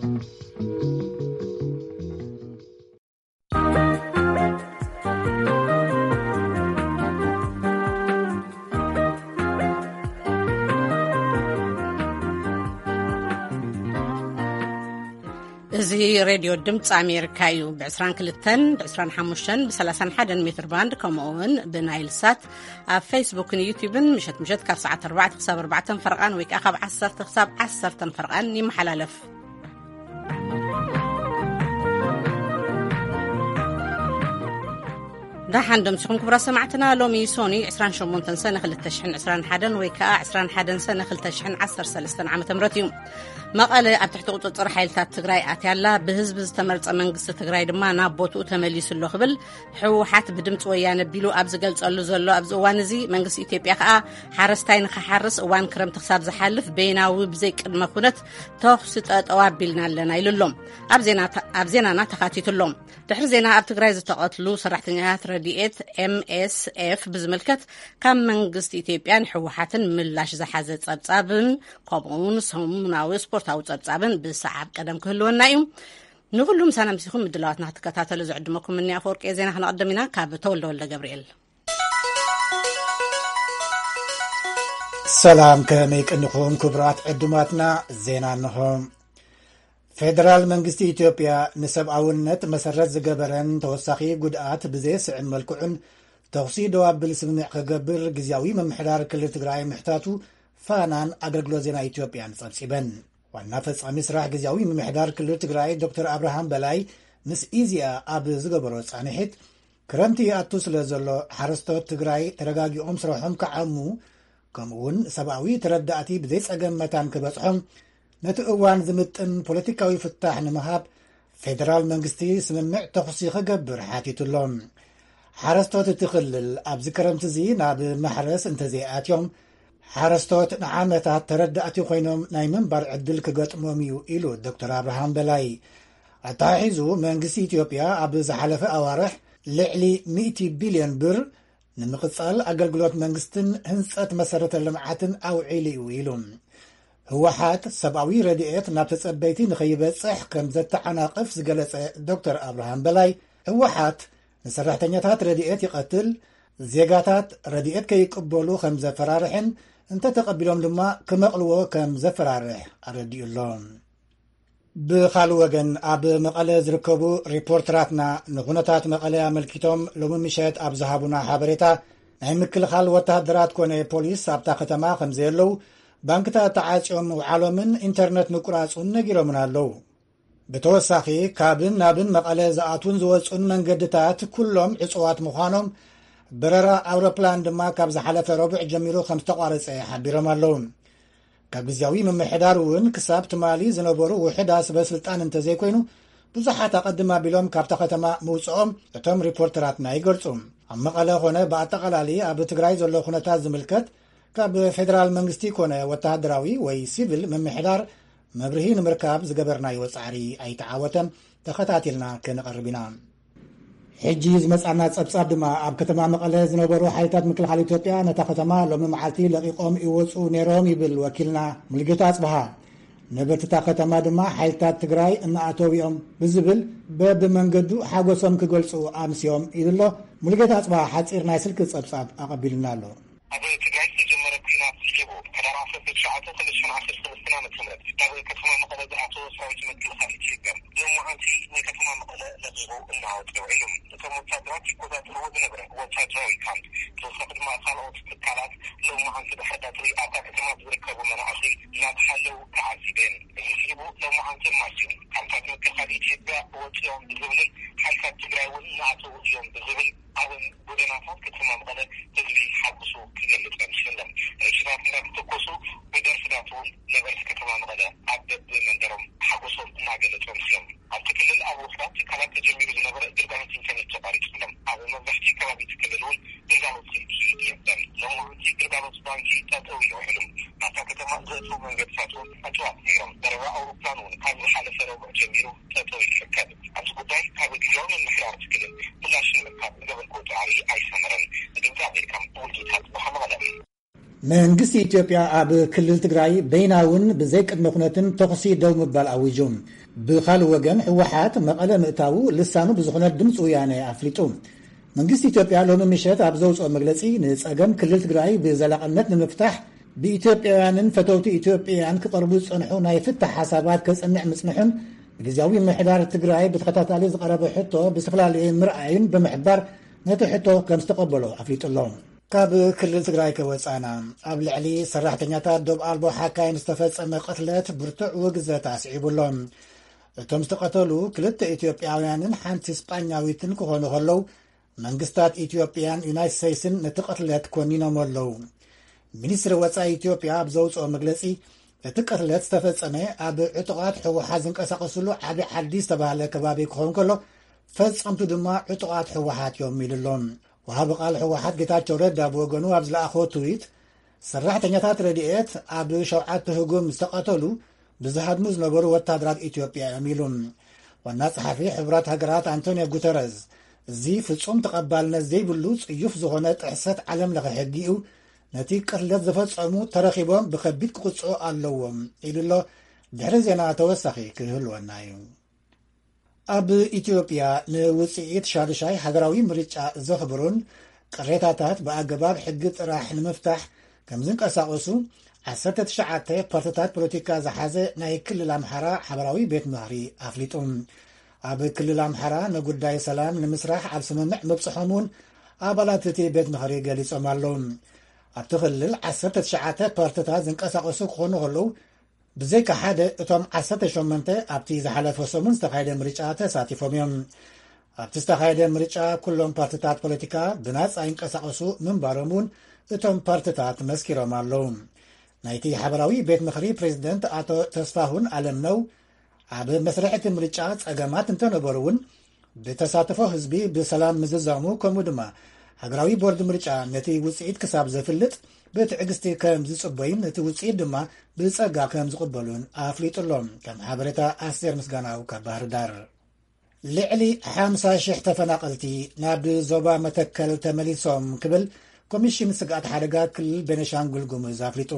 እዚ ሬድዮ ድምፂ ኣሜሪካ እዩ። ብ22፣ ብ25፣ ብ31 ሜትር ባንድ፣ ከምኡ እውን ብናይል ሳት ኣብ ፌስቡክን ዩቲዩብን ምሸት ምሸት ካብ ሰዓት ኣርባዕተ ክሳብ ኣርባዕተ ፈርቓን ወይ ከዓ ካብ ዓሰርተ ክሳብ ዓሰርተ ፈርቓን ይመሓላለፍ። ደሓን ደምሲኹም ክቡራት ሰማዕትና። ሎሚ ሶኒ ዕስራን ሸሞንተን ሰነ ክልተ ሽሕን ዕስራን ሓደን ወይ ከዓ ዕስራን ሓደን ሰነ ክልተ ሽሕን ዓሰርተ ሰለስተን ዓመተ ምህረት እዩ። መቐለ ኣብ ትሕቲ ቁፅፅር ሓይልታት ትግራይ ኣትያ ኣላ። ብህዝቢ ዝተመርፀ መንግስቲ ትግራይ ድማ ናብ ቦትኡ ተመሊሱ ኣሎ ክብል ህወሓት ብድምፂ ወያነ ቢሉ ኣብ ዝገልፀሉ ዘሎ ኣብዚ እዋን እዚ፣ መንግስቲ ኢትዮጵያ ከዓ ሓረስታይ ንክሓርስ እዋን ክረምቲ ክሳብ ዝሓልፍ በይናዊ ብዘይ ቅድመ ኩነት ተኹሲ ጠጠው ኣቢልና ኣለና ኢሉ ኣሎ። ኣብ ዜና፣ ኣብ ዜናና ተኻቲቱ ኣሎ። ድሕሪ ዜና ኣብ ትግራይ ዝተቐትሉ ሰራሕተኛታት ረድኤት ኤምኤስኤፍ ብዝምልከት ካብ መንግስቲ ኢትዮጵያን ህወሓትን ምላሽ ዝሓዘ ጸብጻብን ከምኡውን ሰሙናዊ ስፖርታዊ ጸብጻብን ብሰዓብ ቀደም ክህልወና እዩ። ንኹሉ ምሳና ምሲኹም ምድላዋትና ክትከታተሉ ዝዕድመኩም እኒ ኣፈወርቂ ዜና ክነቐድም ኢና። ካብ ተወልደ ወልደ ገብርኤል። ሰላም፣ ከመይ ቀኒኹም ክቡራት ዕዱማትና? ዜና እንሆ። ፌደራል መንግስቲ ኢትዮጵያ ንሰብኣውነት መሰረት ዝገበረን ተወሳኺ ጉድኣት ብዘየስዕብ መልክዑን ተኹሲ ደው ኣብል ስምምዕ ክገብር ግዝያዊ ምምሕዳር ክልል ትግራይ ምሕታቱ ፋናን ኣገልግሎት ዜና ኢትዮጵያን ጸብጺበን። ዋና ፈጻሚ ስራሕ ግዝያዊ ምምሕዳር ክልል ትግራይ ዶክተር ኣብርሃም በላይ ምስ ኢዜኣ ኣብ ዝገበሮ ጻንሒት፣ ክረምቲ ይኣቱ ስለ ዘሎ ሓረስቶት ትግራይ ተረጋጊኦም ስራሖም ክዓሙ፣ ከምኡ እውን ሰብኣዊ ተረዳእቲ ብዘይጸገም መታን ክበጽሖም፣ ነቲ እዋን ዝምጥን ፖለቲካዊ ፍታሕ ንምሃብ ፌደራል መንግስቲ ስምምዕ ተኹሲ ክገብር ሓቲቱ ኣሎ። ሓረስቶት እቲ ክልል ኣብዚ ክረምቲ እዚ ናብ ማሕረስ እንተዘይኣትዮም፣ ሓረስቶት ንዓመታት ተረዳእቲ ኮይኖም ናይ ምንባር ዕድል ክገጥሞም እዩ ኢሉ ዶክተር ኣብርሃም በላይ። ኣተሓሒዙ መንግስቲ ኢትዮጵያ ኣብ ዝሓለፈ ኣዋርሕ ልዕሊ ሚእቲ ቢልዮን ብር ንምቕጻል ኣገልግሎት መንግስትን ህንጸት መሰረተ ልምዓትን ኣውዒሉ እዩ ኢሉ። ህወሓት ሰብኣዊ ረድኤት ናብ ተጸበይቲ ንኸይበጽሕ ከም ዘተዓናቕፍ ዝገለጸ ዶክተር ኣብርሃም በላይ፣ ህወሓት ንሰራሕተኛታት ረድኤት ይቐትል፣ ዜጋታት ረድኤት ከይቅበሉ ከም ዘፈራርሕን እንተተቐቢሎም ድማ ክመቕልዎ ከም ዘፈራርሕ ኣረዲኡ ኣሎ። ብኻልእ ወገን ኣብ መቐለ ዝርከቡ ሪፖርተራትና ንኹነታት መቐለ ኣመልኪቶም ሎሚ ምሸት ኣብ ዝሃቡና ሓበሬታ፣ ናይ ምክልኻል ወተሃደራት ኮነ ፖሊስ ኣብታ ከተማ ከም ዘየለዉ፣ ባንክታት ተዓጽዮም ምውዓሎምን ኢንተርነት ምቁራጹን ነጊሮምና ኣለዉ። ብተወሳኺ ካብን ናብን መቐለ ዝኣትዉን ዝወጹን መንገድታት ኩሎም ዕጹዋት ምዃኖም፣ በረራ ኣውሮፕላን ድማ ካብ ዝሓለፈ ረቡዕ ጀሚሩ ከም ዝተቋረጸ ሓቢሮም ኣለዉ። ካብ ግዝያዊ ምምሕዳር እውን ክሳብ ትማሊ ዝነበሩ ውሑዳት ሰበ ስልጣን እንተዘይኮይኑ፣ ብዙሓት ኣቐድም ኣቢሎም ካብታ ከተማ ምውጽኦም እቶም ሪፖርተራትና ይገልጹ። ኣብ መቐለ ኾነ ብኣጠቓላሊ ኣብ ትግራይ ዘሎ ኩነታት ዝምልከት ካብ ፌደራል መንግስቲ ኮነ ወተሃደራዊ ወይ ሲቪል ምምሕዳር መብርሂ ንምርካብ ዝገበርናዮ ጻዕሪ ኣይተዓወተን። ተኸታቲልና ክንቐርብ ኢና። ሕጂ ዝመጻና ጸብጻብ ድማ፣ ኣብ ከተማ መቐለ ዝነበሩ ሓይልታት ምክልኻል ኢትዮጵያ ነታ ከተማ ሎሚ መዓልቲ ለቒቖም ይወጹ ነይሮም ይብል ወኪልና ሙሉጌታ ኣጽብሃ። ነበርቲ እታ ከተማ ድማ ሓይልታት ትግራይ እናኣተው እዮም ብዝብል በብመንገዱ ሓጎሶም ክገልጹ ኣምስዮም ኢሉ ኣሎ። ሙሉጌታ ኣጽብሃ ሓጺር ናይ ስልኪ ጸብጻብ ኣቐቢሉና ኣሎ። ኣብ ትግራይ ዝተጀመረ ኲናት ስዒቡ፣ ሕዳር ዓሰርተ ትሽዓተ ክልተ ሽሕን ዓሰርተ ሰለስተን ዓመተ ምህረት ናብ ከተማ መቐለ ዝኣተወ ሰራዊት ምክልኻል ኢትዮጵያ፣ ሎማዓንቲ ንከተማ መቐለ ለቒቑ እናወፀ ውዒሉ። እቶም ወታደራት ይቆጻጸርዎ ዝነበረ ወታደራዊ ካምፕ፣ ብተወሳኺ ድማ ካልኦት ትካላት፣ ሎማዓንቲ ድሕሪ ቀትሪ ኣብታ ከተማ ዝርከቡ መናእሰይ እናተሓለዉ ተዓዚበ። እዚ ስዒቡ፣ ሎማዓንቲ ማስዩ፣ ካምፕታት ምክልኻል ኢትዮጵያ ወፂኦም ብዝብልን ሓይልታት ትግራይ እውን እናኣተዉ እዮም ብዝብል ኣብ ጎደናታት ከተማ መቐለ ህዝቢ ሓጎሱ ክገልጽ ኣምሲሉ። ረሽናት እንዳተተኮሱ ብደርፍታት እውን ነበርቲ ከተማ መቐለ ኣብ በብመንደሮም ሓጎሶም እናገለጹ ኣምሲሎም። ኣብቲ ክልል ኣብ ውሑዳት ትካላት ተጀሚሩ ዝነበረ ግልጋሎት ኢንተርኔት ተቋሪጹ ኣሎ። ኣብ መብዛሕትኡ ከባቢ እቲ ክልል እውን ግልጋሎት ስልኪ የለን። ሎሚ መዓልቲ ግልጋሎት ባንኪ ጠጠው ኢሉ ውዒሉ። ናብታ ከተማ ዘእትዉ መንገድታት እውን ዕጹዋት ነይሮም። በረራ ኣውሮፕላን እውን ካብ ዝሓለፈ ረቡዕ ጀሚሩ ጠጠው ይርከብ። ኣብዚ ጉዳይ ካብ ግዝያዊ ምምሕዳር እቲ ክልል ምላሽ ንምርካብ ዝገበርኩዎ ጻዕሪ ኣይሰመረን። ንድምጺ ኣሜሪካ፣ ሙሉጌታ ኣጽብሃ፣ መቐለ። መንግስቲ ኢትዮጵያ ኣብ ክልል ትግራይ በይናውን ብዘይ ቅድመ ኩነትን ተኹሲ ደው ምባል ኣዊጁ። ብኻልእ ወገን፣ ህወሓት መቐለ ምእታዉ ልሳኑ ብዝኾነ ድምፂ ወያነ ኣፍሊጡ። መንግስቲ ኢትዮጵያ ሎሚ ምሸት ኣብ ዘውፅኦ መግለፂ፣ ንፀገም ክልል ትግራይ ብዘላቕነት ንምፍታሕ ብኢትዮጵያውያንን ፈተውቲ ኢትዮጵያን ክቐርቡ ዝፀንሑ ናይ ፍታሕ ሓሳባት ከፅንዕ ምፅንሑን፣ ብግዜያዊ ምምሕዳር ትግራይ ብተኸታታሊ ዝቐረበ ሕቶ ብዝተፈላለየ ምርኣይን ብምሕባር፣ ነቲ ሕቶ ከም ዝተቐበሎ ኣፍሊጡ ኣሎ። ካብ ክልል ትግራይ ከወፃና፣ ኣብ ልዕሊ ሰራሕተኛታት ዶብ ኣልቦ ሓካይም ዝተፈጸመ ቅትለት ብርቱዕ ውግዘት ኣስዒቡ ኣሎ። እቶም ዝተቐተሉ ክልተ ኢትዮጵያውያንን ሓንቲ ስጳኛዊትን ክኾኑ ከለዉ፣ መንግስታት ኢትዮጵያን ዩናይትድ ስቴትስን ነቲ ቅትለት ኮኒኖም ኣለዉ። ሚኒስትሪ ወጻኢ ኢትዮጵያ ኣብ ዘውፅኦ መግለጺ፣ እቲ ቅትለት ዝተፈጸመ ኣብ ዕጡቓት ህወሓት ዝንቀሳቐስሉ ዓቢ ዓዲ ዝተባህለ ከባቢ ክኸውን ከሎ፣ ፈጸምቱ ድማ ዕጡቓት ህወሓት እዮም ኢሉ ኣሎ። ወሃቢ ቃል ህወሓት ጌታቸው ረዳ ብወገኑ ኣብ ዝለኣኾ ትዊት፣ ሰራሕተኛታት ረድኤት ኣብ ሸውዓተ ህጉም ዝተቐተሉ ብዝሃድሙ ዝነበሩ ወታደራት ኢትዮጵያ እዮም ኢሉ። ዋና ጸሓፊ ሕቡራት ሃገራት ኣንቶኒዮ ጉተረዝ፣ እዚ ፍጹም ተቐባልነት ዘይብሉ ጽዩፍ ዝኾነ ጥሕሰት ዓለም ለኸ ሕጊ እዩ፣ ነቲ ቅትለት ዝፈጸሙ ተረኺቦም ብኸቢድ ክቕጽዑ ኣለዎም ኢሉ ኣሎ። ድሕሪ ዜና ተወሳኺ ክህልወና እዩ። ኣብ ኢትዮጵያ ንውጽኢት ሻዱሻይ ሃገራዊ ምርጫ ዘኽብሩን ቅሬታታት ብኣገባብ ሕጊ ጥራሕ ንምፍታሕ ከም ዝንቀሳቐሱ ዓሰርተ ትሽዓተ ፓርትታት ፖለቲካ ዝሓዘ ናይ ክልል ኣምሓራ ሓበራዊ ቤት ምኽሪ ኣፍሊጡ። ኣብ ክልል ኣምሓራ ንጉዳይ ሰላም ንምስራሕ ኣብ ስምምዕ ምብጽሖም እውን ኣባላት እቲ ቤት ምኽሪ ገሊጾም ኣለዉ። ኣብቲ ክልል ዓሰርተ ትሽዓተ ፓርትታት ዝንቀሳቐሱ ክኾኑ ከለዉ፣ ብዘይካ ሓደ እቶም ዓሰርተ ሸሞንተ ኣብቲ ዝሓለፈ ሰሙን ዝተኻየደ ምርጫ ተሳቲፎም እዮም። ኣብቲ ዝተኻየደ ምርጫ ኩሎም ፓርትታት ፖለቲካ ብናጻ ይንቀሳቐሱ ምንባሮም እውን እቶም ፓርትታት መስኪሮም ኣለዉ። ናይቲ ሓበራዊ ቤት ምኽሪ ፕሬዝደንት ኣቶ ተስፋሁን ኣለምነው፣ ኣብ መስርሕ እቲ ምርጫ ጸገማት እንተነበሩ እውን፣ ብተሳትፎ ህዝቢ ብሰላም ምዝዛሙ፣ ከምኡ ድማ ሃገራዊ ቦርድ ምርጫ ነቲ ውጽኢት ክሳብ ዘፍልጥ ብትዕግስቲ ከም ዝጽበዩን ነቲ ውጽኢት ድማ ብጸጋ ከም ዝቕበሉን ኣፍሊጡ ኣሎ። ከም ሓበሬታ ኣስቴር ምስጋናው ካብ ባህር ዳር። ልዕሊ ሓምሳ ሽሕ ተፈናቐልቲ ናብ ዞባ መተከል ተመሊሶም ክብል ኮሚሽን ስግኣት ሓደጋ ክልል ቤኒሻንጉል ጉሙዝ ኣፍሊጡ።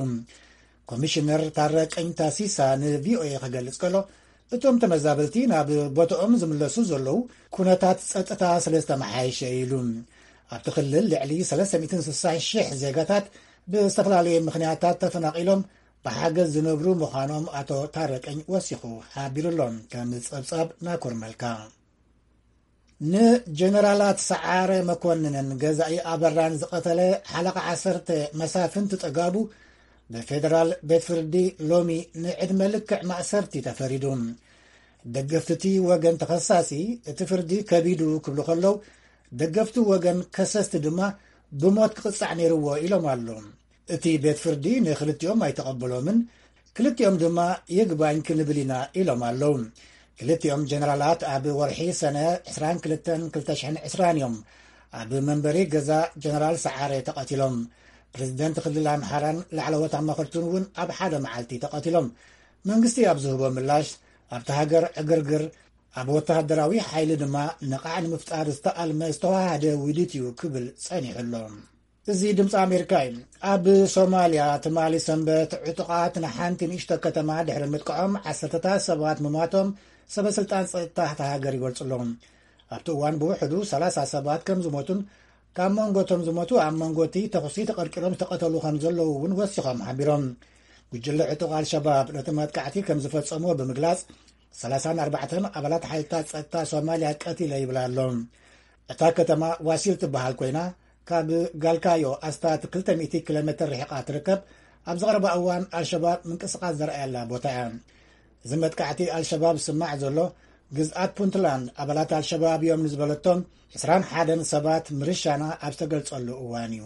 ኮሚሽነር ታረቀኝ ታሲሳ ንቪኦኤ ክገልጽ ከሎ፣ እቶም ተመዛበልቲ ናብ ቦታኦም ዝምለሱ ዘለዉ ኩነታት ጸጥታ ስለ ዝተመሓየሸ ኢሉ። ኣብቲ ክልል ልዕሊ ሰለስተ ሚእትን ስሳን ሽሕ ዜጋታት ብዝተፈላለየ ምኽንያታት ተፈናቒሎም ብሓገዝ ዝነብሩ ምዃኖም ኣቶ ታረቀኝ ወሲኹ ሓቢሩ ኣሎ። ከም ጸብጻብ ናኮር መልካ። ንጀነራላት ሰዓረ መኮንንን ገዛኢ ኣበራን ዝቐተለ ሓለቓ ዓሰርተ መሳፍንቲ ጠጋቡ ብፌደራል ቤት ፍርዲ ሎሚ ንዕድመ ልክዕ ማእሰርቲ ተፈሪዱ። ደገፍቲ እቲ ወገን ተኸሳሲ እቲ ፍርዲ ከቢዱ ክብሉ ከለዉ፣ ደገፍቲ ወገን ከሰስቲ ድማ ብሞት ክቕጻዕ ነይርዎ ኢሎም ኣለዉ። እቲ ቤት ፍርዲ ንክልቲኦም ኣይተቐበሎምን፣ ክልቲኦም ድማ ይግባኝ ክንብል ኢና ኢሎም ኣለዉ። ክልቲኦም ጀነራላት ኣብ ወርሒ ሰነ ዕስራን ክልተን ክልተ ሽሕን ዕስራን እዮም ኣብ መንበሪ ገዛ ጀነራል ሰዓረ ተቐቲሎም። ፕሬዝደንት ክልል ኣምሓራን ላዕለዎት ኣማኸርቱን እውን ኣብ ሓደ መዓልቲ ተቐቲሎም። መንግስቲ ኣብ ዝህቦ ምላሽ፣ ኣብቲ ሃገር ዕግርግር፣ ኣብ ወተሃደራዊ ሓይሊ ድማ ነቓዕ ንምፍጣር ዝተኣልመ ዝተዋሃደ ውዲት እዩ ክብል ጸኒሑ ኣሎ። እዚ ድምፂ ኣሜሪካ እዩ። ኣብ ሶማልያ ትማሊ ሰንበት ዕጡቓት ንሓንቲ ንእሽቶ ከተማ ድሕሪ ምጥቅዖም ዓሰርተታት ሰባት ምማቶም ሰበ ስልጣን ጸጥታ እታ ሃገር ይገልጹ ኣለዉ። ኣብቲ እዋን ብውሕዱ ሰላሳ ሰባት ከም ዝሞቱን ካብ መንጎ እቶም ዝሞቱ ኣብ መንጎ እቲ ተኹሲ ተቐርቂሮም ዝተቐተሉ ከም ዘለዉ እውን ወሲኾም ሓቢሮም። ጉጅለ ዕጡቕ ኣልሸባብ ነቲ መጥቃዕቲ ከም ዝፈጸሞ ብምግላጽ፣ ሰላሳን ኣርባዕተን ኣባላት ሓይልታት ጸጥታ ሶማልያ ቀቲለ ይብል ኣሎ። እታ ከተማ ዋሲል ትበሃል ኮይና፣ ካብ ጋልካዮ ኣስታት ክልተ ሚእቲ ኪሎ ሜትር ርሒቓ ትርከብ፣ ኣብ ዝቐረባ እዋን ኣልሸባብ ምንቅስቓስ ዘርኣየላ ቦታ እያ። እዚ መጥቃዕቲ ኣልሸባብ ዝስማዕ ዘሎ፣ ግዝኣት ፑንትላንድ ኣባላት ኣልሸባብ እዮም ንዝበለቶም ዕስራን ሓደን ሰባት ምርሻና ኣብ ዝተገልጸሉ እዋን እዩ።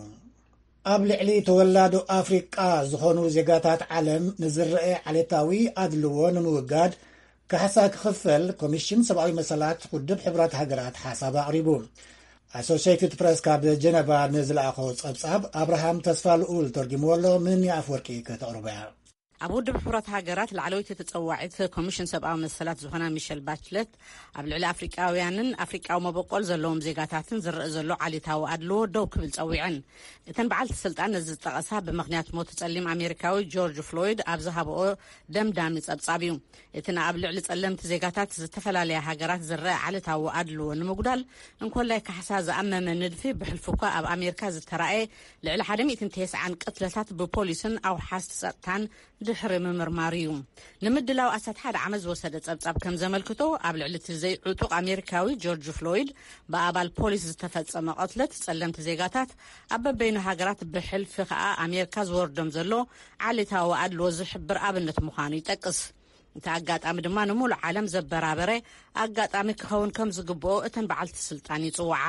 ኣብ ልዕሊ ተወላዶ ኣፍሪቃ ዝኾኑ ዜጋታት ዓለም ንዝረአ ዓሌታዊ ኣድልዎ ንምውጋድ ካሕሳ ክኽፈል ኮሚሽን ሰብኣዊ መሰላት ውድብ ሕቡራት ሃገራት ሓሳብ ኣቕሪቡ። ኣሶሲየትድ ፕረስ ካብ ጀነቫ ንዝለኣኾ ጸብጻብ ኣብርሃም ተስፋ ልኡል ተርጊምዎ ኣሎ። ምን ኣፍወርቂ ከተቕርቦ እያ። ኣብ ውድብ ሕቡራት ሃገራት ላዕለወይቲ ተጸዋዒት ኮሚሽን ሰብኣዊ መሰላት ዝኾና ሚሸል ባችለት፣ ኣብ ልዕሊ ኣፍሪቃውያንን ኣፍሪቃዊ መበቆል ዘለዎም ዜጋታትን ዝረአ ዘሎ ዓሌታዊ ኣድልዎ ደው ክብል ጸዊዐን። እተን በዓልቲ ስልጣን ነዚ ዝጠቐሳ፣ ብምኽንያት ሞት ጸሊም ኣሜሪካዊ ጆርጅ ፍሎይድ ኣብ ዝሃብኦ ደምዳሚ ጸብጻብ እዩ። እቲ ንኣብ ልዕሊ ጸለምቲ ዜጋታት ዝተፈላለያ ሃገራት ዝረአ ዓሌታዊ ኣድልዎ ንምጉዳል እንኮላይ ካሕሳ ዝኣመመ ንድፊ፣ ብሕልፊ እኳ ኣብ ኣሜሪካ ዝተራእየ ልዕሊ ሓደ ሚእትን ተስዓን ቅትለታት ብፖሊስን ኣውሓስቲ ጸጥታን ድሕሪ ምምርማር እዩ። ንምድላው ኣስታት ሓደ ዓመት ዝወሰደ ጸብጻብ ከም ዘመልክቶ፣ ኣብ ልዕሊ እቲ ዘይዕጡቕ ኣሜሪካዊ ጆርጅ ፍሎይድ ብኣባል ፖሊስ ዝተፈጸመ ቅትለት ጸለምቲ ዜጋታት ኣብ በበይኑ ሃገራት፣ ብሕልፊ ከኣ ኣሜሪካ ዝወርዶም ዘሎ ዓሌታዊ ኣድልዎ ዝሕብር ኣብነት ምዃኑ ይጠቅስ። እቲ ኣጋጣሚ ድማ ንሙሉእ ዓለም ዘበራበረ ኣጋጣሚ ክኸውን ከም ዝግብኦ እተን በዓልቲ ስልጣን ይጽውዓ።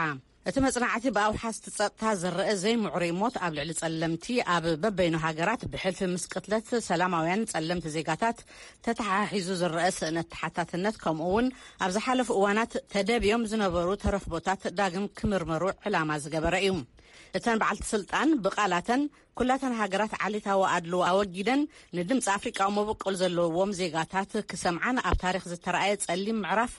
እቲ መጽናዕቲ ብኣውሓስቲ ጸጥታ ዝረአ ዘይምዕሩይ ሞት ኣብ ልዕሊ ጸለምቲ ኣብ በበይኑ ሃገራት ብሕልፊ ምስ ቅትለት ሰላማውያን ጸለምቲ ዜጋታት ተተሓሒዙ ዝረአ ስእነት ተሓታትነት፣ ከምኡ እውን ኣብ ዝሓለፉ እዋናት ተደብዮም ዝነበሩ ተረኽቦታት ዳግም ክምርመሩ ዕላማ ዝገበረ እዩ። እተን በዓልቲ ስልጣን ብቓላተን፣ ኩላተን ሃገራት ዓሌታዊ ኣድልዎ ኣወጊደን ንድምፂ ኣፍሪቃዊ መበቆል ዘለዎም ዜጋታት ክሰምዓን ኣብ ታሪኽ ዝተረኣየ ጸሊም ምዕራፍ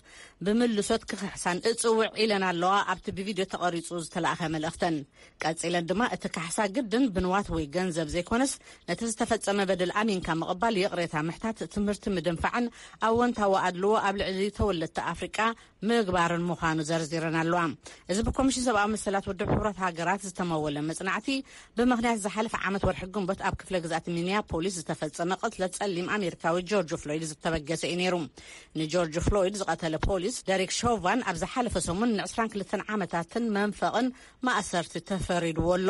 ብምልሶት ክኽሕሳን እጽውዕ ኢለን ኣለዋ፣ ኣብቲ ብቪድዮ ተቐሪጹ ዝተላእኸ መልእኽተን። ቀጺለን ድማ፣ እቲ ካሕሳ ግድን ብንዋት ወይ ገንዘብ ዘይኮነስ፣ ነቲ ዝተፈጸመ በደል ኣሚንካ ምቕባል፣ ይቕሬታ ምሕታት፣ ትምህርቲ ምድንፋዕን ኣወንታዊ ኣድልዎ ኣብ ልዕሊ ተወለድቲ ኣፍሪቃ ምግባርን ምዃኑ ዘርዚረን ኣለዋ። እዚ ብኮሚሽን ሰብኣዊ መሰላት ውድብ ሕቡራት ሃገራት ዝተመወለ መጽናዕቲ፣ ብምኽንያት ዝሓለፈ ዓመት ወርሒ ግንቦት ኣብ ክፍለ ግዝኣት ሚኒያፖሊስ ዝተፈጸመ ቅትለት ጸሊም ኣሜሪካዊ ጆርጅ ፍሎይድ ዝተበገሰ እዩ ነይሩ። ንጆርጅ ፍሎይድ ዝቐተለ ፖሊስ ደሪክ ሾቫን ኣብ ዝሓለፈ ሰሙን ንዕስራን ክልተን ዓመታትን መንፈቕን ማእሰርቲ ተፈሪድዎ ኣሎ።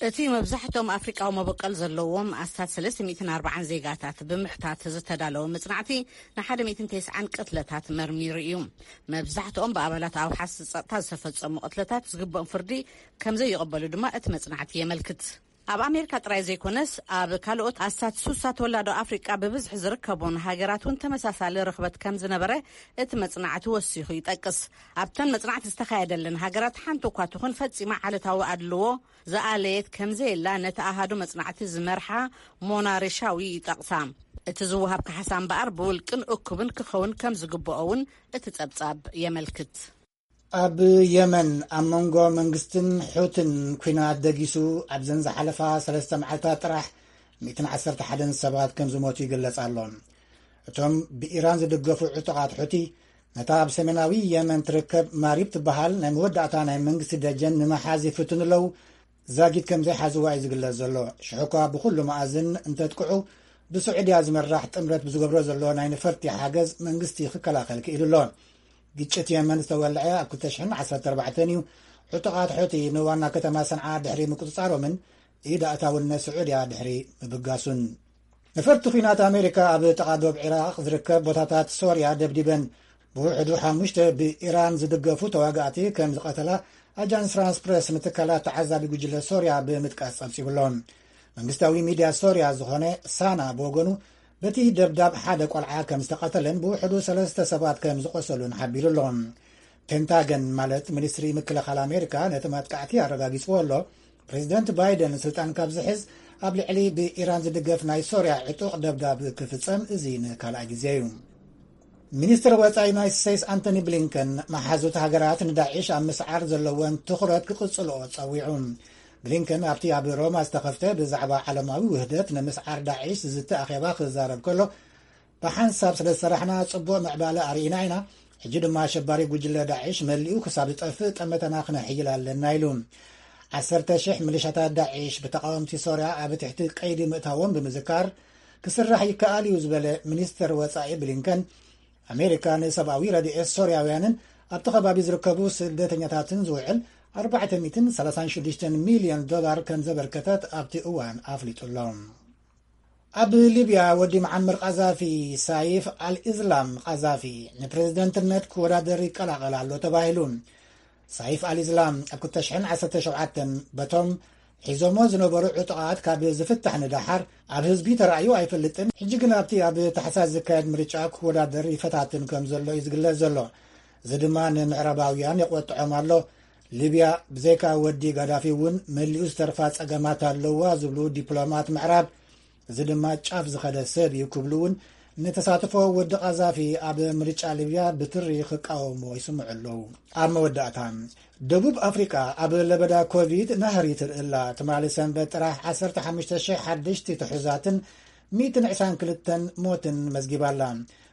እቲ መብዛሕትኦም ኣፍሪቃዊ መበቆል ዘለዎም ኣስታት ሰለስተ ሚእትን ኣርባዓን ዜጋታት ብምሕታት ዝተዳለወ መጽናዕቲ፣ ንሓደ ሚእትን ተስዓን ቅትለታት መርሚሩ እዩ። መብዛሕትኦም ብኣባላት ኣውሓስ ጸጥታ ዝተፈጸሙ ቅትለታት ዝግብኦም ፍርዲ ከም ዘይቕበሉ ድማ እቲ መጽናዕቲ የመልክት። ኣብ ኣሜሪካ ጥራይ ዘይኮነስ፣ ኣብ ካልኦት ኣስታት ሱሳ ተወላዶ ኣፍሪቃ ብብዝሒ ዝርከቡን ሃገራት እውን ተመሳሳሊ ርኽበት ከም ዝነበረ እቲ መጽናዕቲ ወሲኹ ይጠቅስ። ኣብተን መጽናዕቲ ዝተኻየደለን ሃገራት ሓንቲ እኳ ትኹን ፈጺማ ዓለታዊ ኣድልዎ ዝኣለየት ከም ዘየላ ነቲ ኣሃዱ መጽናዕቲ ዝመርሓ ሞና ሬሻዊ ይጠቕሳ። እቲ ዝወሃብ ካሕሳ እምበኣር ብውልቅን እኩብን ክኸውን ከም ዝግብኦ እውን እቲ ጸብጻብ የመልክት። ኣብ የመን ኣብ መንጎ መንግስትን ሑትን ኲናት ደጊሱ ኣብዘን ዝሓለፋ ሰለስተ መዓልታት ጥራሕ ሚእትን ዓሰርተ ሓደን ሰባት ከም ዝሞቱ ይግለጽ ኣሎ። እቶም ብኢራን ዝድገፉ ዕጡቓት ሑቲ ነታ ኣብ ሰሜናዊ የመን ትርከብ ማሪብ ትበሃል ናይ መወዳእታ ናይ መንግስቲ ደጀን ንምሓዝ ይፍትኑ ኣለዉ። ዛጊት ከም ዘይሓዝዋ እዩ ዝግለጽ ዘሎ። ሽሕኳ ብኹሉ መኣዝን እንተጥቅዑ፣ ብስዑድያ ዝመራሕ ጥምረት ብዝገብሮ ዘሎ ናይ ነፈርቲ ሓገዝ መንግስቲ ክከላኸል ክኢሉ ኣሎ። ግጭት የመን ዝተወልዐ ኣብ ክልተ ሽሕን ዓሰርተ ኣርባዕተን እዩ። ዕጡቓት ሑቲ ንዋና ከተማ ሰንዓ ድሕሪ ምቁጽጻሮምን ኢድ ኣእታውነት ስዑድያ ድሕሪ ምብጋሱን። ነፈርቲ ኲናት ኣሜሪካ ኣብ ጥቓ ዶብ ዒራቕ ዝርከብ ቦታታት ሶርያ ደብዲበን። ብውሕዱ ሓሙሽተ ብኢራን ዝድገፉ ተዋጋእቲ ከም ዝቐተላ ኣጃንስ ፍራንስ ፕረስ ንትካላት ተዓዛቢ ጉጅለ ሶርያ ብምጥቃስ ጸብጺቡ ኣሎ። መንግስታዊ ሚድያ ሶርያ ዝኾነ ሳና ብወገኑ፣ በቲ ደብዳብ ሓደ ቆልዓ ከም ዝተቐተለን ብውሕዱ ሰለስተ ሰባት ከም ዝቖሰሉን ሓቢሩ ኣሎ። ፔንታገን ማለት ሚኒስትሪ ምክልኻል ኣሜሪካ ነቲ መጥቃዕቲ ኣረጋጊጽዎ ኣሎ። ፕሬዚደንት ባይደን ስልጣን ካብ ዝሕዝ ኣብ ልዕሊ ብኢራን ዝድገፍ ናይ ሶርያ ዕጡቕ ደብዳብ ክፍጸም እዚ ንካልኣይ ግዜ እዩ። ሚኒስትር ወጻኢ ዩናይትድ ስቴትስ ኣንቶኒ ብሊንከን፣ መሓዙት ሃገራት ንዳዒሽ ኣብ ምስዓር ዘለወን ትኹረት ክቕጽልኦ ጸዊዑ። ብሊንከን ኣብቲ ኣብ ሮማ ዝተኸፍተ ብዛዕባ ዓለማዊ ውህደት ንምስዓር ዳዒሽ ዝዝተ ኣኼባ ክዛረብ ከሎ፣ ብሓንሳብ ስለ ዝሰራሕና ጽቡቕ ምዕባለ ኣርኢና ኢና። ሕጂ ድማ ኣሸባሪ ጉጅለ ዳዒሽ መሊኡ ክሳብ ዝጠፍእ ጠመተና ክነሕይል ኣለና ኢሉ። ዓሰርተ ሽሕ ሚሊሻታት ዳዒሽ ብተቓወምቲ ሶርያ ኣብ ትሕቲ ቀይዲ ምእታዎም ብምዝካር፣ ክስራሕ ይከኣል እዩ ዝበለ ሚኒስተር ወጻኢ ብሊንከን፣ ኣሜሪካ ንሰብኣዊ ረድኤት ሶርያውያንን ኣብቲ ከባቢ ዝርከቡ ስደተኛታትን ዝውዕል ኣርባዕተ ሚእትን ሰላሳን ሽዱሽተን ሚልዮን ዶላር ከም ዘበርከተት ኣብቲ እዋን ኣፍሊጡ ኣሎ። ኣብ ሊብያ ወዲ መዓመር ቃዛፊ ሳይፍ ኣልኢዝላም ቃዛፊ ንፕሬዝደንትነት ክወዳደር ይቀላቐል ኣሎ ተባሂሉ። ሳይፍ ኣልኢዝላም ኣብ ክልተ ሽሕን ዓሰርተ ሸውዓተን በቶም ሒዞሞ ዝነበሩ ዕጡቓት ካብ ዝፍታሕ ንደሓር ኣብ ህዝቢ ተራእዩ ኣይፈልጥን። ሕጂ ግን ኣብቲ ኣብ ታሕሳስ ዝካየድ ምርጫ ክወዳደር ይፈታትን ከም ዘሎ እዩ ዝግለጽ ዘሎ። እዚ ድማ ንምዕራባውያን የቆጥዖም ኣሎ። ሊብያ ብዘይካ ወዲ ጋዳፊ እውን መሊኡ ዝተርፋ ጸገማት ኣለዋ ዝብሉ ዲፕሎማት ምዕራብ፣ እዚ ድማ ጫፍ ዝኸደ ሰብ እዩ ክብሉ እውን ንተሳትፎ ወዲ ቃዛፊ ኣብ ምርጫ ሊብያ ብትሪ ክቃወሞ ይስምዑ ኣለዉ። ኣብ መወዳእታ፣ ደቡብ ኣፍሪቃ ኣብ ለበዳ ኮቪድ ናህሪ ትርኢ ኣላ። ትማሊ ሰንበት ጥራሕ ዓሰርተ ሓሙሽተ ሽሕ ሓደሽቲ ትሑዛትን ሚእትን ዕስራን ክልተን ሞትን መዝጊባ ኣላ።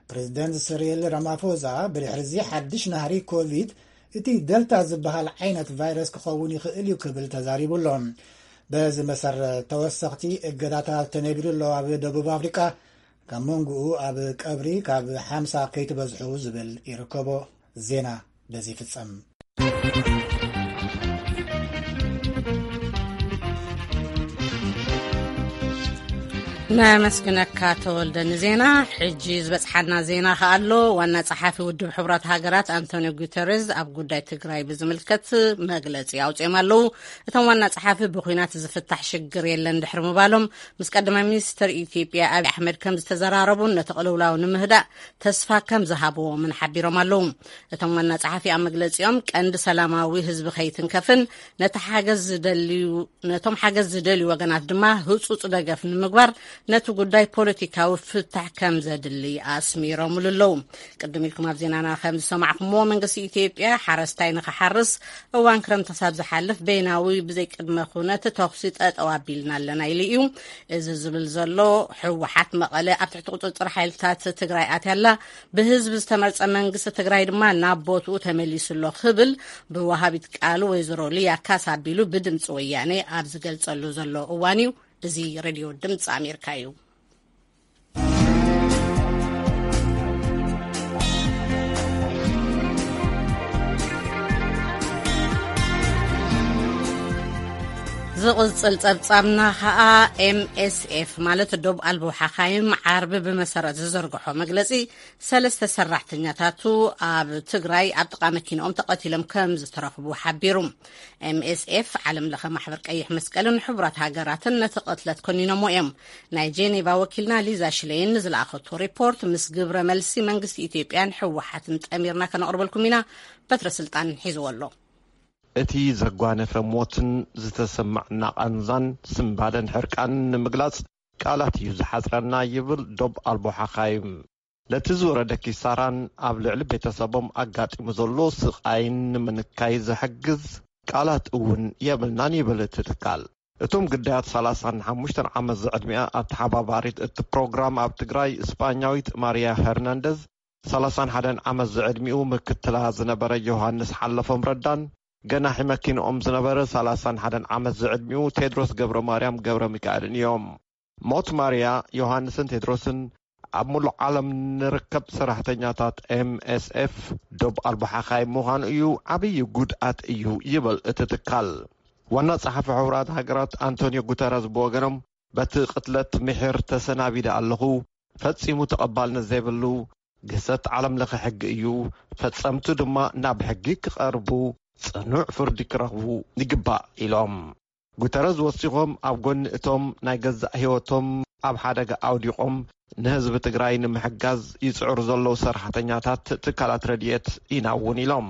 ፕሬዚደንት ስሪል ራማፎዛ ብድሕሪ እዚ ሓድሽ ናህሪ ኮቪድ እቲ ደልታ ዝበሃል ዓይነት ቫይረስ ክኸውን ይኽእል እዩ ክብል ተዛሪቡ ኣሎ። በዚ መሰረት ተወሰኽቲ እገዳታት ተነቢሩ ኣሎ። ኣብ ደቡብ ኣፍሪቃ ካብ መንጎኡ ኣብ ቀብሪ ካብ ሓምሳ ከይትበዝሑ ዝብል ይርከቦ። ዜና በዚ ይፍጸም። ነመስግነካ ተወልደ ንዜና። ሕጂ ዝበጽሓና ዜና ከኣ ኣሎ። ዋና ጸሓፊ ውድብ ሕቡራት ሃገራት ኣንቶኒዮ ጉተሬዝ ኣብ ጉዳይ ትግራይ ብዝምልከት መግለጺ ኣውጺኦም ኣለዉ። እቶም ዋና ጸሓፊ ብኹናት ዝፍታሕ ሽግር የለን ድሕሪ ምባሎም፣ ምስ ቀዳማይ ሚኒስትር ኢትዮጵያ ኣብይ ኣሕመድ ከም ዝተዘራረቡን ነቲ ቅልውላው ንምህዳእ ተስፋ ከም ዝሃብዎምን ሓቢሮም ኣለዉ። እቶም ዋና ጸሓፊ ኣብ መግለጺኦም፣ ቀንዲ ሰላማዊ ህዝቢ ከይትንከፍን ነቲ ሓገዝ ዝደልዩ ነቶም ሓገዝ ዝደልዩ ወገናት ድማ ህጹጽ ደገፍ ንምግባር ነቲ ጉዳይ ፖለቲካዊ ፍታሕ ከም ዘድሊ ኣስሚሮምሉ ኣለዉ። ቅድም ኢልኩም ኣብ ዜናና ከም ዝሰማዕኩምዎ፣ መንግስቲ ኢትዮጵያ ሓረስታይ ንኽሓርስ እዋን ክረምቲ ክሳብ ዝሓልፍ በይናዊ ብዘይቅድመ ኩነት ተኹሲ ጠጠው ኣቢልና ኣለና ኢሉ እዩ። እዚ ዝብል ዘሎ፣ ህወሓት መቐለ ኣብ ትሕቲ ቁጽጽር ሓይልታት ትግራይ ኣትያ ኣላ፣ ብህዝቢ ዝተመርጸ መንግስቲ ትግራይ ድማ ናብ ቦትኡ ተመሊሱ ኣሎ ክብል ብወሃቢት ቃል ወይዘሮ ሊያ ካሳ ኣቢሉ ብድምፂ ወያነ ኣብ ዝገልጸሉ ዘሎ እዋን እዩ። እዚ ሬድዮ ድምፂ ኣሜሪካ እዩ። ዝቕጽል ጸብጻብና ኸኣ ኤም ኤስ ኤፍ ማለት ዶብ ኣልቦ ሓኻይም ዓርቢ ብመሰረት ዝዘርግሖ መግለጺ፣ ሰለስተ ሰራሕተኛታቱ ኣብ ትግራይ ኣብ ጥቓ መኪንኦም ተቐቲሎም ከም ዝተረኽቡ ሓቢሩ። ኤም ኤስ ኤፍ፣ ዓለም ለኸ ማሕበር ቀይሕ መስቀልን ሕቡራት ሃገራትን ነቲ ቅትለት ኮኒኖሞ እዮም። ናይ ጄኔቫ ወኪልና ሊዛ ሽሌይን ንዝለኣኸቶ ሪፖርት ምስ ግብረ መልሲ መንግስቲ ኢትዮጵያን ህወሓትን ጠሚርና ከነቕርበልኩም ኢና። በትረ ስልጣን ሒዝዎ ኣሎ። እቲ ዘጓነፈ ሞትን ዝተሰማዕና ቃንዛን ስንባደን ሕርቃንን ንምግላጽ ቃላት እዩ ዝሓጽረና ይብል ዶብ ኣልቦ ሓኻይም። ነቲ ዝወረደ ኪሳራን ኣብ ልዕሊ ቤተሰቦም ኣጋጢሙ ዘሎ ስቓይን ንምንካይ ዝሕግዝ ቃላት እውን የብልናን ይብል እቲ ትካል። እቶም ግዳያት ሰላሳን ሓሙሽተን ዓመት ዝዕድሚኣ ኣተሓባባሪት እቲ ፕሮግራም ኣብ ትግራይ ስጳኛዊት ማርያ ሄርናንደዝ፣ ሰላሳን ሓደን ዓመት ዝዕድሚኡ ምክትላ ዝነበረ ዮሃንስ ሓለፎም ረዳን ገናሒ መኪንኦም ዝነበረ ሰላሳን ሓደን ዓመት ዝዕድሚኡ ቴድሮስ ገብረ ማርያም ገብረ ሚካኤልን እዮም። ሞት ማርያ፣ ዮሃንስን ቴድሮስን ኣብ ሙሉእ ዓለም ንርከብ ሰራሕተኛታት ኤም ኤስ ኤፍ ዶብ ኣልቦ ሓኻይም ምዃኑ እዩ፣ ዓብዪ ጉድኣት እዩ ይብል እቲ ትካል። ዋና ጸሓፊ ሕቡራት ሃገራት ኣንቶኒዮ ጉተረዝ ብወገኖም፣ በቲ ቅትለት ምሒር ተሰናቢደ ኣለኹ፣ ፈጺሙ ተቐባልነት ዘይብሉ ግህሰት ዓለም ለኸ ሕጊ እዩ፣ ፈጸምቱ ድማ ናብ ሕጊ ክቐርቡ፣ ጽኑዕ ፍርዲ ክረኽቡ ይግባእ ኢሎም። ጉተረዝ ወሲኾም፣ ኣብ ጎኒ እቶም ናይ ገዛእ ህይወቶም ኣብ ሓደጋ ኣውዲቖም ንህዝቢ ትግራይ ንምሕጋዝ ይጽዕሩ ዘለዉ ሰራሕተኛታት ትካላት ረድኤት ኢና እውን ኢሎም።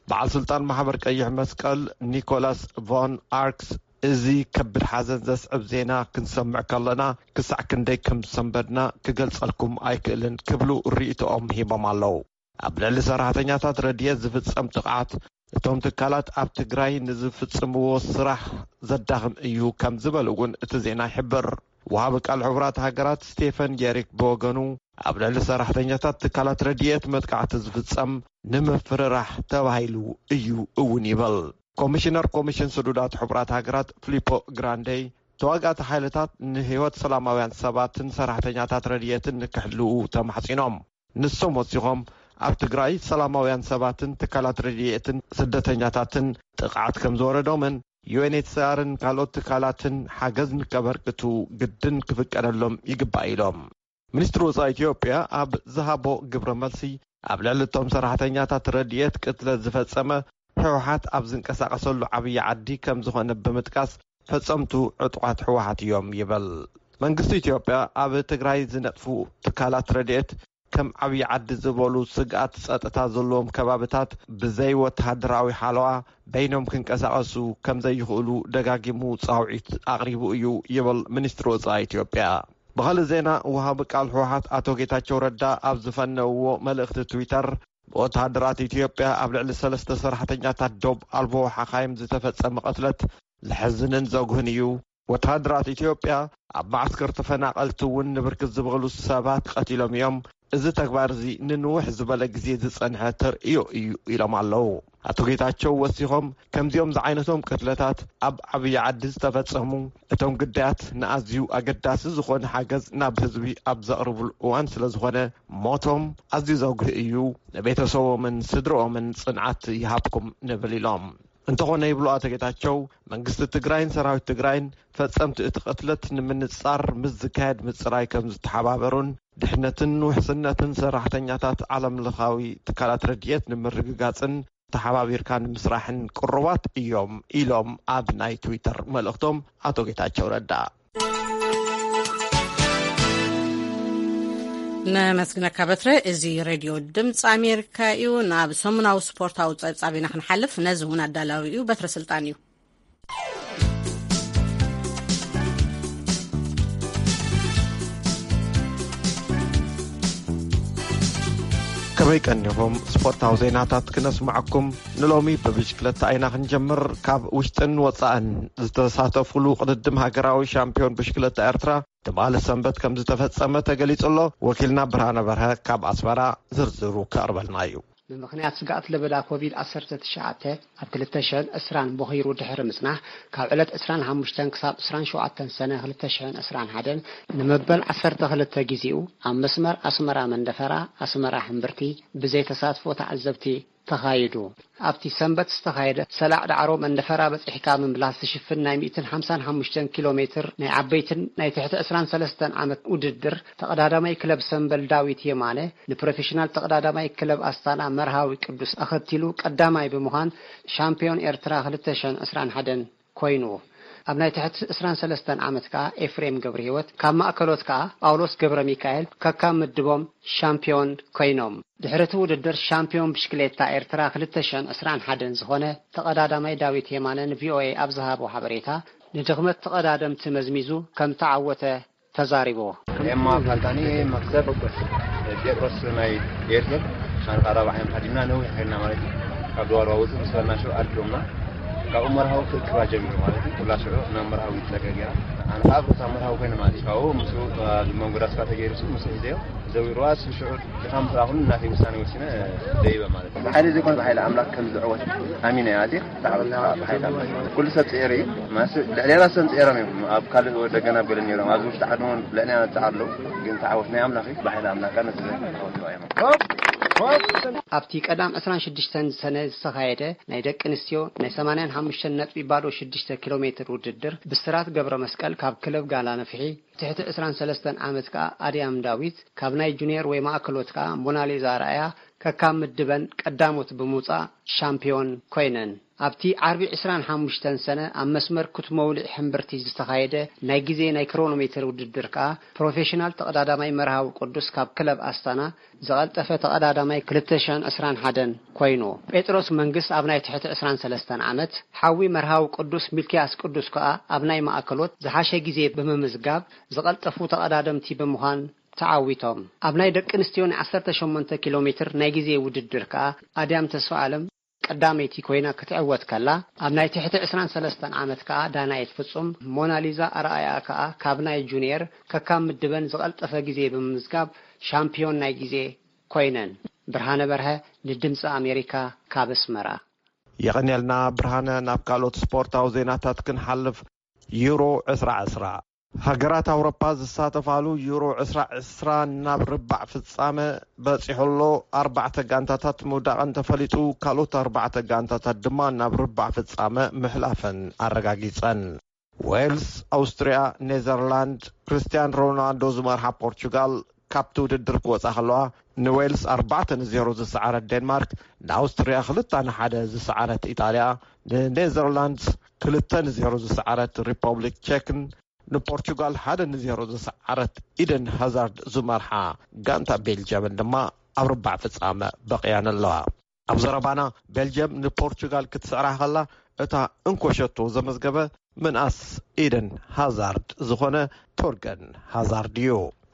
በዓል ስልጣን ማሕበር ቀይሕ መስቀል ኒኮላስ ቮን ኣርክስ፣ እዚ ከቢድ ሓዘን ዘስዕብ ዜና ክንሰምዕ ከለና ክሳዕ ክንደይ ከም ዝሰንበድና ክገልጸልኩም ኣይክእልን ክብሉ ርእይቶኦም ሂቦም ኣለዉ። ኣብ ልዕሊ ሰራሕተኛታት ረድኤት ዝፍጸም ጥቕዓት እቶም ትካላት ኣብ ትግራይ ንዝፍጽምዎ ስራሕ ዘዳኽም እዩ ከም ዝበሉ እውን እቲ ዜና ይሕብር። ወሃቢ ቃል ሕቡራት ሃገራት ስቴፈን ጀሪክ ብወገኑ፣ ኣብ ልዕሊ ሰራሕተኛታት ትካላት ረድኤት መጥቃዕቲ ዝፍጸም ንምፍርራሕ ተባሂሉ እዩ እውን ይብል። ኮሚሽነር ኮሚሽን ስዱዳት ሕቡራት ሃገራት ፊሊፖ ግራንዴ፣ ተዋጋእቲ ሓይልታት ንህይወት ሰላማውያን ሰባትን ሰራሕተኛታት ረድኤትን ንክሕልዉ ተማሕጺኖም። ንሶም ወሲኾም፣ ኣብ ትግራይ ሰላማውያን ሰባትን ትካላት ረድኤትን ስደተኛታትን ጥቕዓት ከም ዝወረዶምን ዩ ኤን ኤች ሲ ኣርን ካልኦት ትካላትን ሓገዝ ንከበርክቱ ግድን ክፍቀደሎም ይግባእ ኢሎም። ሚኒስትሪ ወጻኢ ኢትዮጵያ ኣብ ዝሃቦ ግብረ መልሲ፣ ኣብ ልዕሊ እቶም ሰራሕተኛታት ረድኤት ቅትለት ዝፈጸመ ህወሓት ኣብ ዝንቀሳቐሰሉ ዓብዪ ዓዲ ከም ዝኾነ ብምጥቃስ፣ ፈጸምቱ ዕጡቓት ህወሓት እዮም ይብል። መንግስቲ ኢትዮጵያ ኣብ ትግራይ ዝነጥፉ ትካላት ረድኤት ከም ዓብዪ ዓዲ ዝበሉ ስግኣት ጸጥታ ዘለዎም ከባብታት ብዘይ ወተሃደራዊ ሓለዋ በይኖም ክንቀሳቐሱ ከም ዘይኽእሉ ደጋጊሙ ጻውዒት ኣቕሪቡ እዩ ይብል ሚኒስትሪ ወጻኢ ኢትዮጵያ። ብኻልእ ዜና፣ ወሃቢ ቃል ህወሓት ኣቶ ጌታቸው ረዳ ኣብ ዝፈነውዎ መልእኽቲ ትዊተር፣ ብወተሃደራት ኢትዮጵያ ኣብ ልዕሊ ሰለስተ ሰራሕተኛታት ዶብ ኣልቦ ሓኻይም ዝተፈጸመ ቅትለት ዘሕዝንን ዘጉህን እዩ። ወተሃደራት ኢትዮጵያ ኣብ መዓስከር ተፈናቐልቲ እውን ንብርክት ዝበሉ ሰባት ቀቲሎም እዮም። እዚ ተግባር እዚ ንንውሕ ዝበለ ግዜ ዝጸንሐ ተርእዮ እዩ ኢሎም ኣለዉ። ኣቶ ጌታቸው ወሲኾም፣ ከምዚኦም ዝዓይነቶም ቅትለታት ኣብ ዓብዪ ዓዲ ዝተፈጸሙ፣ እቶም ግዳያት ንኣዝዩ ኣገዳሲ ዝኾነ ሓገዝ ናብ ህዝቢ ኣብ ዘቕርብሉ እዋን ስለ ዝኾነ፣ ሞቶም ኣዝዩ ዘጉህ እዩ። ንቤተሰቦምን ስድርኦምን ጽንዓት ይሃብኩም ንብል ኢሎም። እንተኾነ ይብሉ ኣቶ ጌታቸው፣ መንግስቲ ትግራይን ሰራዊት ትግራይን ፈጸምቲ እቲ ቅትለት ንምንጻር ምስ ዝካየድ ምጽራይ ከም ዝተሓባበሩን ድሕነትን ውሕስነትን ሰራሕተኛታት ዓለም ለኻዊ ትካላት ረድኤት ንምርግጋጽን ተሓባቢርካ ንምስራሕን ቅሩባት እዮም ኢሎም ኣብ ናይ ትዊተር መልእኽቶም ኣቶ ጌታቸው ረዳ። ነመስግነካ በትረ። እዚ ሬድዮ ድምፂ ኣሜሪካ እዩ። ናብ ሰሙናዊ ስፖርታዊ ፀብፃብ ኢና ክንሓልፍ። ነዚ እውን ኣዳላዊ እዩ በትረ ስልጣን እዩ። ከመይ ቀኒኹም? ስፖርታዊ ዜናታት ክነስምዓኩም። ንሎሚ ብብሽክለታ ኢና ክንጀምር። ካብ ውሽጥን ወፃእን ዝተሳተፉሉ ቅድድም ሃገራዊ ሻምፒዮን ብሽክለታ ኤርትራ ትማሊ ሰንበት ከም ዝተፈጸመ ተገሊጹ ኣሎ። ወኪልና ብርሃነ በርሀ ካብ ኣስመራ ዝርዝሩ ከቕርበልና እዩ። ብምኽንያት ስግኣት ለበዳ ኮቪድ ዓሰርተ ትሽዓተ ኣብ ክልተ ሽሕን ዕስራን ቦኺሩ ድሕሪ ምጽናሕ፣ ካብ ዕለት ዕስራን ሓሙሽተን ክሳብ ዕስራን ሸውዓተን ሰነ ክልተ ሽሕን ዕስራን ሓደን ንመበል ዓሰርተ ክልተ ግዜኡ ኣብ መስመር ኣስመራ መንደፈራ፣ ኣስመራ ሕምብርቲ ብዘይ ተሳትፎ ተዓዘብቲ ተኻይዱ። ኣብቲ ሰንበት ዝተኻየደ ሰላዕ ዳዕሮ መንደፈራ በጺሕካ ምምላስ ዝሽፍን ናይ ሚእትን ሓምሳን ሓሙሽተን ኪሎ ሜትር ናይ ዓበይትን ናይ ትሕቲ ዕስራን ሰለስተን ዓመት ውድድር ተቐዳዳማይ ክለብ ሰምበል ዳዊት የማነ ንፕሮፌሽናል ተቐዳዳማይ ክለብ ኣስታና መርሃዊ ቅዱስ ኣኸቲሉ ቀዳማይ ብምዃን ሻምፒዮን ኤርትራ ክልተ ሽሕን ዕስራን ሓደን ኮይኑ። ኣብ ናይ ትሕቲ ዕስራን ሰለስተን ዓመት ከኣ ኤፍሬም ገብረህይወት፣ ካብ ማእከሎት ከኣ ጳውሎስ ገብረ ሚካኤል ከካብ ምድቦም ሻምፒዮን ኮይኖም። ድሕሪ እቲ ውድድር ሻምፒዮን ብሽክሌታ ኤርትራ ክልተ ሽሕን ዕስራን ሓደን ዝኾነ ተቐዳዳማይ ዳዊት የማነ ንቪኦኤ ኣብ ዝሃቦ ሓበሬታ፣ ንድኽመት ተቐዳደምቲ መዝሚዙ ከም ተዓወተ ተዛሪቡ። ኤማ ፋንታኒ፣ መክሰብ ጴጥሮስ ናይ ኤርትር፣ ኣነ ካብ ራብዓዮም ሃዲምና ነዊሕ ሄድና ማለት እዩ። ካብ ድዋርዋ ውፅእ ምስ በልና ሽዑ ኣድሎምና። ካብኡ መርሃዊ ክእክባ ጀሚሩ ማለት እዩ። ኩላ ሽዑ ናብ መርሃዊ ይፀገ ገይራ። ኣነ ከዓ ኣብታ መርሃዊ ኮይነ ማለት እዩ። ካብኡ ምስኡ ኣብ መንጎ ዳስካ ተገይሩ ሱ ምስኡ ሒዘዮ ዘዊርዋ። እሱ ሽዑ ድኻም ምስ ረኣኹኒ ናተይ ውሳኔ ወሲነ ደይበ ማለት እዩ። ብሓይሊ ዘይኮነ ብሓይሊ ኣምላክ ከም ዝዕወት ኣሚነ እየ ኣትየ። ብሓይሊ ኣምላክ። ኩሉ ሰብ ፅዒሩ እዩ። ማስ ልዕሌና ሰብ ፅዒሮም እዮም። ኣብ ካልእ ወደገና ኣብ ገለ ነይሮም። ኣብዚ ውሽጢ ዓዲ እውን ልዕሌና ዝፀዓሩ ኣለዉ። ግን ተዓወት ናይ ኣምላክ እዩ። ብሓይሊ ኣምላክ ነቲ ዓወት እዮም። ኣብቲ ቀዳም ዕስራን ሽዱሽተን ሰነ ዝተኻየደ ናይ ደቂ ኣንስትዮ ናይ ሰማንያን ሓሙሽተን ነጥቢ ባዶ ሽዱሽተ ኪሎ ሜትር ውድድር ብስራት ገብረ መስቀል ካብ ክለብ ጋላ ነፍሒ፣ ትሕቲ ዕስራን ሰለስተን ዓመት ከኣ ኣድያም ዳዊት፣ ካብ ናይ ጁኒየር ወይ ማእከሎት ከኣ ሞናሊዛ ኣርኣያ ከካብ ምድበን ቀዳሞት ብምውጻእ ሻምፒዮን ኮይነን። ኣብቲ ዓርቢ ዕስራን ሓሙሽተን ሰነ ኣብ መስመር ኩት መውሊዕ ሕምብርቲ ዝተኻየደ ናይ ግዜ ናይ ክሮኖሜትር ውድድር ከኣ ፕሮፌሽናል ተቐዳዳማይ መርሃዊ ቅዱስ ካብ ክለብ ኣስታና ዝቐልጠፈ ተቐዳዳማይ ክልተ ሽሕን ዕስራን ሓደን ኮይኑ። ጴጥሮስ መንግስ ኣብ ናይ ትሕቲ ዕስራን ሰለስተን ዓመት፣ ሓዊ መርሃዊ ቅዱስ ሚልክያስ ቅዱስ ከኣ ኣብ ናይ ማእከሎት ዝሓሸ ግዜ ብምምዝጋብ ዝቐልጠፉ ተቐዳደምቲ ብምዃን ተዓዊቶም። ኣብ ናይ ደቂ ኣንስትዮ ናይ ዓሰርተ ሸሞንተ ኪሎ ሜትር ናይ ግዜ ውድድር ከኣ ኣድያም ተስፋ ኣለም ቀዳመይቲ ኮይና ክትዕወት ከላ፣ ኣብ ናይ ትሕቲ ዕስራን ሰለስተን ዓመት ከኣ ዳናይት ፍጹም፣ ሞናሊዛ ኣርኣያ ከኣ ካብ ናይ ጁኒየር ከካብ ምድበን ዝቐልጠፈ ግዜ ብምምዝጋብ ሻምፒዮን ናይ ግዜ ኮይነን። ብርሃነ በርሀ ንድምፂ ኣሜሪካ ካብ ኣስመራ። የቐንየልና ብርሃነ። ናብ ካልኦት ስፖርታዊ ዜናታት ክንሓልፍ፣ ዩሮ ዕስራ ዕስራ። ሃገራት ኣውሮፓ ዝሳተፋሉ ዩሮ ዕስራ ዕስራ ናብ ርባዕ ፍጻመ በጺሑ ኣሎ። ኣርባዕተ ጋንታታት ምውዳቐን ተፈሊጡ፣ ካልኦት ኣርባዕተ ጋንታታት ድማ ናብ ርባዕ ፍጻመ ምሕላፈን ኣረጋጊጸን። ዌልስ፣ ኣውስትርያ፣ ኔዘርላንድ፣ ክርስትያን ሮናልዶ ዝመርሓ ፖርቹጋል ካብቲ ውድድር ክወጻ ከለዋ፣ ንዌልስ ኣርባዕተ ንዜሮ ዝሰዓረት ዴንማርክ፣ ንኣውስትርያ ክልተ ንሓደ ዝሰዓረት ኢጣልያ፣ ንኔዘርላንድስ ክልተ ንዜሮ ዝሰዓረት ሪፐብሊክ ቼክን ንፖርቹጋል ሓደ ንዜሮ ዝሰዓረት ኢደን ሃዛርድ ዝመርሓ ጋንታ ቤልጅየምን ድማ ኣብ ርባዕ ፍጻመ በቒያን ኣለዋ። ኣብ ዘረባና፣ ቤልጅየም ንፖርቹጋል ክትስዕራ ከላ፣ እታ እንኮ ሸቶ ዘመዝገበ ምንኣስ ኢደን ሃዛርድ ዝኾነ ቶርገን ሃዛርድ እዩ።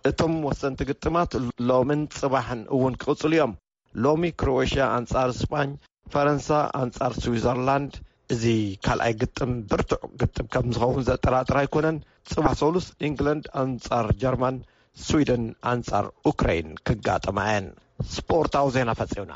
እቶም ወሰንቲ ግጥማት ሎምን ጽባሕን እውን ክቕጽሉ እዮም። ሎሚ ክሮኤሽያ ኣንጻር ስጳኝ፣ ፈረንሳ ኣንጻር ስዊዘርላንድ። እዚ ካልኣይ ግጥም ብርቱዕ ግጥም ከም ዝኸውን ዘጠራጥር ኣይኮነን። ጽባሕ ሰሉስ ኢንግላንድ ኣንጻር ጀርመን፣ ስዊደን ኣንጻር ኡክራይን ክጋጠማ እየን። ስፖርታዊ ዜና ፈጺምና።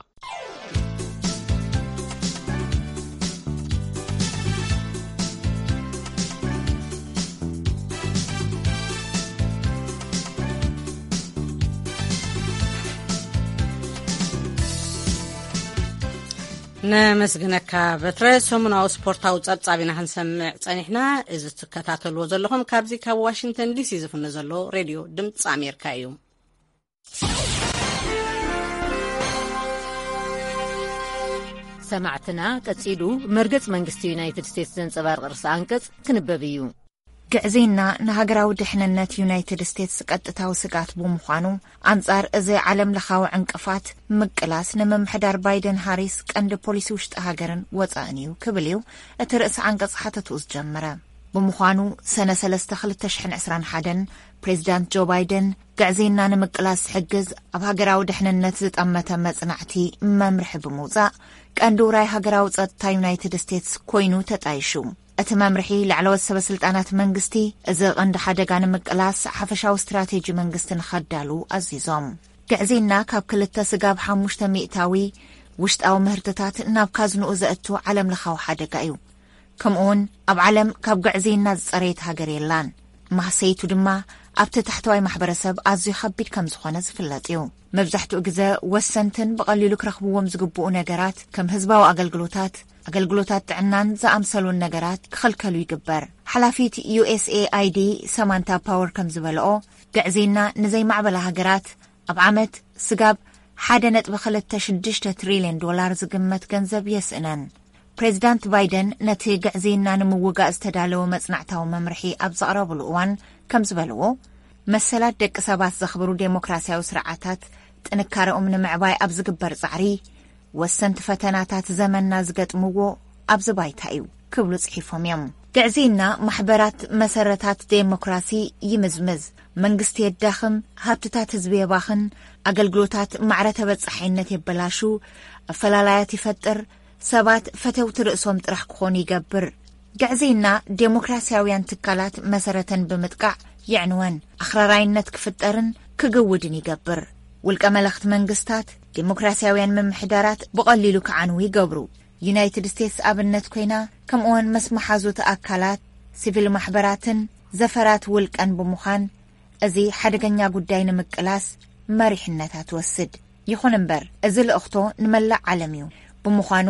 ነመስግነካ በትረ። ሰሙናዊ ስፖርታዊ ጸብጻብ ኢና ክንሰምዕ ጸኒሕና። እዚ ትከታተልዎ ዘለኹም ካብዚ ካብ ዋሽንግተን ዲሲ ዝፍኖ ዘሎ ሬድዮ ድምፂ ኣሜሪካ እዩ። ሰማዕትና፣ ቀጺሉ መርገጽ መንግስቲ ዩናይትድ ስቴትስ ዘንጸባርቕ ርእሰ ኣንቀጽ ክንበብ እዩ። ግዕዜና ንሃገራዊ ድሕንነት ዩናይትድ ስቴትስ ቀጥታዊ ስግኣት ብምዃኑ፣ ኣንጻር እዚ ዓለም ለኻዊ ዕንቅፋት ምቅላስ ንምምሕዳር ባይደን ሃሪስ ቀንዲ ፖሊሲ ውሽጢ ሃገርን ወጻእን እዩ ክብል እዩ እቲ ርእሰ ኣንቀጽ ሓተትኡ ዝጀመረ። ብምዃኑ፣ ሰነ ሰለስተ ክልተ ሽሕን ዕስራን ሓደን ፕሬዚዳንት ጆ ባይደን ግዕዜና ንምቅላስ ዝሕግዝ ኣብ ሃገራዊ ድሕንነት ዝጠመተ መጽናዕቲ መምርሒ ብምውጻእ፣ ቀንዲ ውራይ ሃገራዊ ጸጥታ ዩናይትድ ስቴትስ ኮይኑ ተጣይሹ። እቲ መምርሒ ላዕለዎት ሰበ ስልጣናት መንግስቲ፣ እዚ ቀንዲ ሓደጋ ንምቅላስ ሓፈሻዊ ስትራቴጂ መንግስቲ ንኸዳሉ ኣዚዞም። ግዕዜና ካብ ክልተ ስጋብ ሓሙሽተ ሚእታዊ ውሽጣዊ ምህርትታት ናብ ካዝንኡ ዘእቱ ዓለም ለኻዊ ሓደጋ እዩ። ከምኡውን ኣብ ዓለም ካብ ግዕዜና ዝጸረየት ሃገር የላን። ማህሰይቱ ድማ ኣብቲ ታሕተዋይ ማሕበረሰብ ኣዝዩ ከቢድ ከም ዝኾነ ዝፍለጥ እዩ። መብዛሕትኡ ግዘ ወሰንትን ብቐሊሉ ክረኽብዎም ዝግብኡ ነገራት ከም ህዝባዊ ኣገልግሎታት፣ ኣገልግሎታት ጥዕናን ዝኣምሰሉን ነገራት ክኽልከሉ ይግበር። ሓላፊት ዩ ኤስ ኤ ኣይ ዲ ሰማንታ ፓወር ከም ዝበልኦ፣ ግዕዜና ንዘይማዕበላ ሃገራት ኣብ ዓመት ስጋብ ሓደ ነጥቢ ክልተ ሽዱሽተ ትሪልዮን ዶላር ዝግመት ገንዘብ የስእነን። ፕሬዚዳንት ባይደን ነቲ ግዕዜና ንምውጋእ ዝተዳለወ መጽናዕታዊ መምርሒ ኣብ ዘቕረብሉ እዋን ከም ዝበልዎ፣ መሰላት ደቂ ሰባት ዘኽብሩ ዴሞክራሲያዊ ስርዓታት ጥንካረኦም ንምዕባይ ኣብ ዝግበር ጻዕሪ ወሰንቲ ፈተናታት ዘመንና ዝገጥምዎ ኣብዚ ባይታ እዩ ክብሉ ጽሒፎም እዮም። ግዕዜና ማሕበራት መሰረታት ዴሞክራሲ ይምዝምዝ፣ መንግስቲ የዳኽም፣ ሃብትታት ህዝቢ የባኽን፣ ኣገልግሎታት ማዕረ ተበጻሓይነት የበላሹ፣ ኣፈላላያት ይፈጥር፣ ሰባት ፈተውቲ ርእሶም ጥራሕ ክኾኑ ይገብር። ግዕዜና ዴሞክራሲያውያን ትካላት መሰረተን ብምጥቃዕ የዕንወን፣ ኣኽራራይነት ክፍጠርን ክግውድን ይገብር። ውልቀ መለኽቲ መንግስታት ዴሞክራሲያውያን ምምሕዳራት ብቐሊሉ ክዓንዉ ይገብሩ። ዩናይትድ ስቴትስ ኣብነት ኮይና፣ ከምኡውን ምስ መሓዙት ኣካላት፣ ሲቪል ማሕበራትን ዘፈራት ውልቀን ብምዃን፣ እዚ ሓደገኛ ጉዳይ ንምቅላስ መሪሕነታ ትወስድ። ይኹን እምበር፣ እዚ ልእኽቶ ንመላእ ዓለም እዩ። ብምዃኑ፣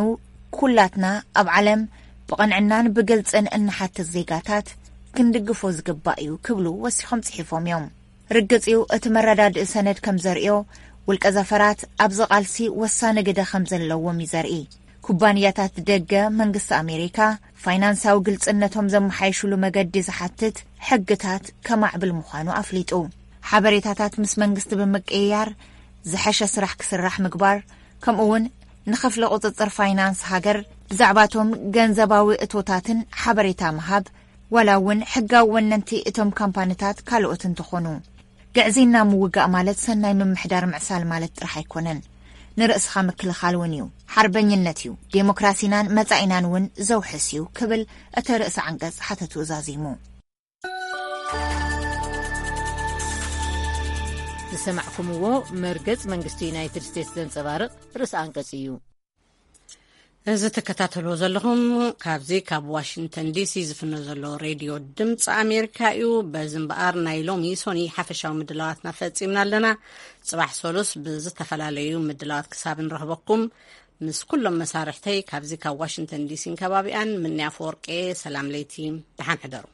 ኩላትና ኣብ ዓለም ብቕንዕናን ብግልጽን እንሓትት ዜጋታት ክንድግፎ ዝግባእ እዩ ክብሉ ወሲኾም ጽሒፎም እዮም። ርግጽ እዩ፣ እቲ መረዳድኢ ሰነድ ከም ዘርእዮ፣ ውልቀ ዘፈራት ኣብዚ ቃልሲ ወሳኒ ግደ ከም ዘለዎም እዩ ዘርኢ። ኩባንያታት ደገ መንግስቲ ኣሜሪካ ፋይናንሳዊ ግልጽነቶም ዘመሓይሽሉ መገዲ ዝሓትት ሕግታት ከማዕብል ምዃኑ ኣፍሊጡ። ሓበሬታታት ምስ መንግስቲ ብምቅይያር ዝሐሸ ስራሕ ክስራሕ ምግባር፣ ከምኡ እውን ንክፍሊ ቁጽጽር ፋይናንስ ሃገር ብዛዕባቶም ገንዘባዊ እቶታትን ሓበሬታ ምሃብ፣ ዋላ እውን ሕጋዊ ወነንቲ እቶም ካምፓኒታት ካልኦት እንተኾኑ። ግዕዜና ምውጋእ ማለት ሰናይ ምምሕዳር ምዕሳል ማለት ጥራሕ ኣይኮነን፣ ንርእስኻ ምክልኻል እውን እዩ። ሓርበኝነት እዩ፣ ዴሞክራሲናን መጻኢናን እውን ዘውሕስ እዩ ክብል እቲ ርእሰ ዓንቀጽ ሓተቱ ዛዚሙ። ዝሰማዕኩምዎ መርገጽ መንግስቲ ዩናይትድ ስቴትስ ዘንጸባርቕ ርእሰ ኣንቀጽ እዩ። እዚ ትከታተልዎ ዘለኹም ካብዚ ካብ ዋሽንግተን ዲሲ ዝፍኖ ዘሎ ሬድዮ ድምፂ ኣሜሪካ እዩ። በዚ እምበኣር ናይ ሎሚ ሶኒ ሓፈሻዊ ምድላዋትና ፈፂምና ኣለና። ፅባሕ ሰሉስ ብዝተፈላለዩ ምድላዋት ክሳብ ንረኽበኩም ምስ ኩሎም መሳርሕተይ ካብዚ ካብ ዋሽንግተን ዲሲን ከባቢኣን ምንያ ፈወርቄ ሰላም ለይቲ፣ ደሓን ሕደሩ።